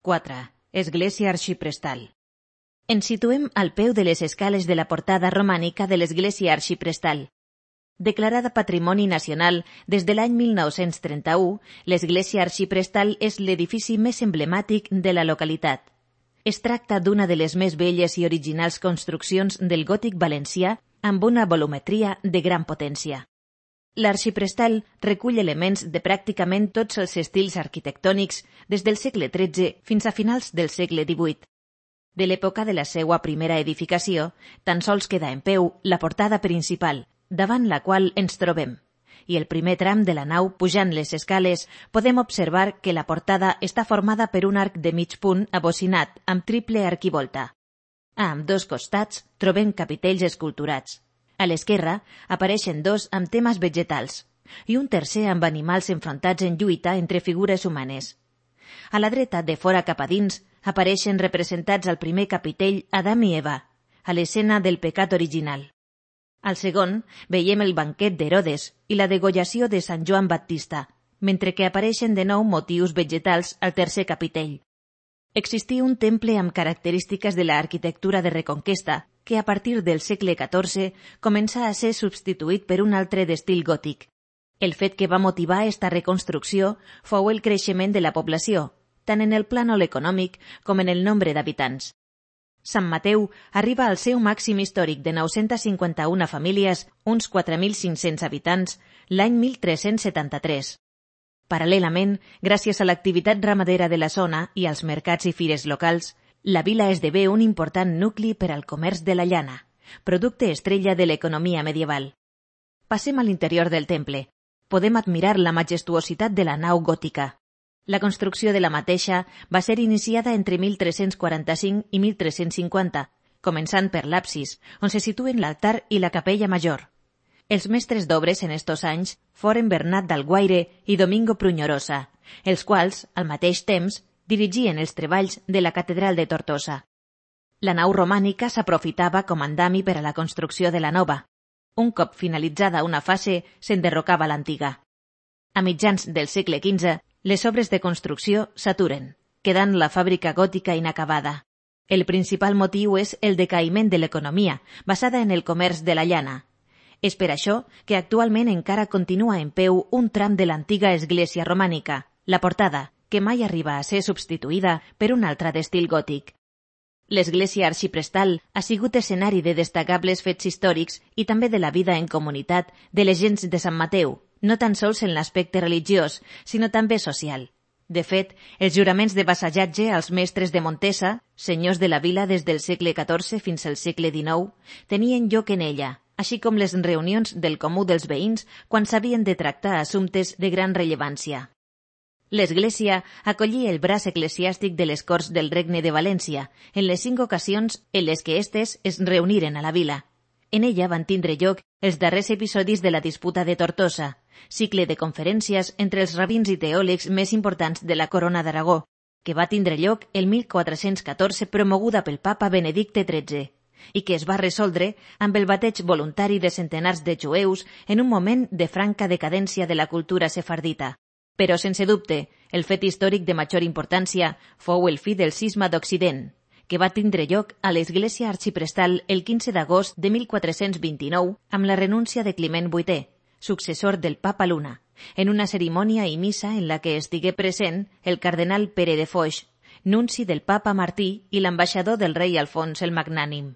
4. Església arxiprestal. Ens situem al peu de les escales de la portada romànica de l'església arxiprestal. Declarada Patrimoni Nacional des de l'any 1931, l'església arxiprestal és l'edifici més emblemàtic de la localitat. Es tracta d'una de les més belles i originals construccions del gòtic valencià amb una volumetria de gran potència. L'arxiprestal recull elements de pràcticament tots els estils arquitectònics des del segle XIII fins a finals del segle XVIII. De l'època de la seva primera edificació, tan sols queda en peu la portada principal, davant la qual ens trobem, i el primer tram de la nau pujant les escales podem observar que la portada està formada per un arc de mig punt abocinat amb triple arquivolta. A ambdós costats trobem capitells esculturats. A l'esquerra apareixen dos amb temes vegetals i un tercer amb animals enfrontats en lluita entre figures humanes. A la dreta, de fora cap a dins, apareixen representats al primer capitell Adam i Eva, a l'escena del pecat original. Al segon, veiem el banquet d'Herodes i la degollació de Sant Joan Baptista, mentre que apareixen de nou motius vegetals al tercer capitell. Existia un temple amb característiques de l'arquitectura de Reconquesta, que a partir del segle XIV comença a ser substituït per un altre d'estil gòtic. El fet que va motivar esta reconstrucció fou el creixement de la població, tant en el plànol econòmic com en el nombre d'habitants. Sant Mateu arriba al seu màxim històric de 951 famílies, uns 4.500 habitants, l'any 1373. Paral·lelament, gràcies a l'activitat ramadera de la zona i als mercats i fires locals, la vila esdevé un important nucli per al comerç de la llana, producte estrella de l'economia medieval. Passem a l'interior del temple. Podem admirar la majestuositat de la nau gòtica. La construcció de la mateixa va ser iniciada entre 1345 i 1350, començant per l'absis, on se situen l'altar i la capella major. Els mestres d'obres en estos anys foren Bernat d'Alguaire i Domingo Pruñorosa, els quals, al mateix temps, dirigien els treballs de la catedral de Tortosa. La nau romànica s'aprofitava com andami per a la construcció de la nova. Un cop finalitzada una fase, s'enderrocava l'antiga. A mitjans del segle XV, les obres de construcció s'aturen, quedant la fàbrica gòtica inacabada. El principal motiu és el decaïment de l'economia, basada en el comerç de la llana. És per això que actualment encara continua en peu un tram de l'antiga església romànica, la portada, que mai arriba a ser substituïda per un altre d'estil gòtic. L'església arxiprestal ha sigut escenari de destacables fets històrics i també de la vida en comunitat de les gents de Sant Mateu, no tan sols en l'aspecte religiós, sinó també social. De fet, els juraments de vassallatge als mestres de Montesa, senyors de la vila des del segle XIV fins al segle XIX, tenien lloc en ella, així com les reunions del comú dels veïns quan s'havien de tractar assumptes de gran rellevància. L'església acollia el braç eclesiàstic de les Corts del Regne de València en les 5 ocasions en les que estes es reuniren a la vila. En ella van tindre lloc els darrers episodis de la disputa de Tortosa, cicle de conferències entre els rabins i teòlegs més importants de la Corona d'Aragó, que va tindre lloc el 1414 promoguda pel papa Benedicte XIII, i que es va resoldre amb el bateig voluntari de centenars de jueus en un moment de franca decadència de la cultura sefardita. Però, sense dubte, el fet històric de major importància fou el fi del cisma d'Occident, que va tindre lloc a l'església arxiprestal el 15 d'agost de 1429 amb la renúncia de Climent VIII, successor del papa Luna, en una cerimònia i missa en la que estigué present el cardenal Pere de Foix, nunci del papa Martí i l'ambaixador del rei Alfons el Magnànim.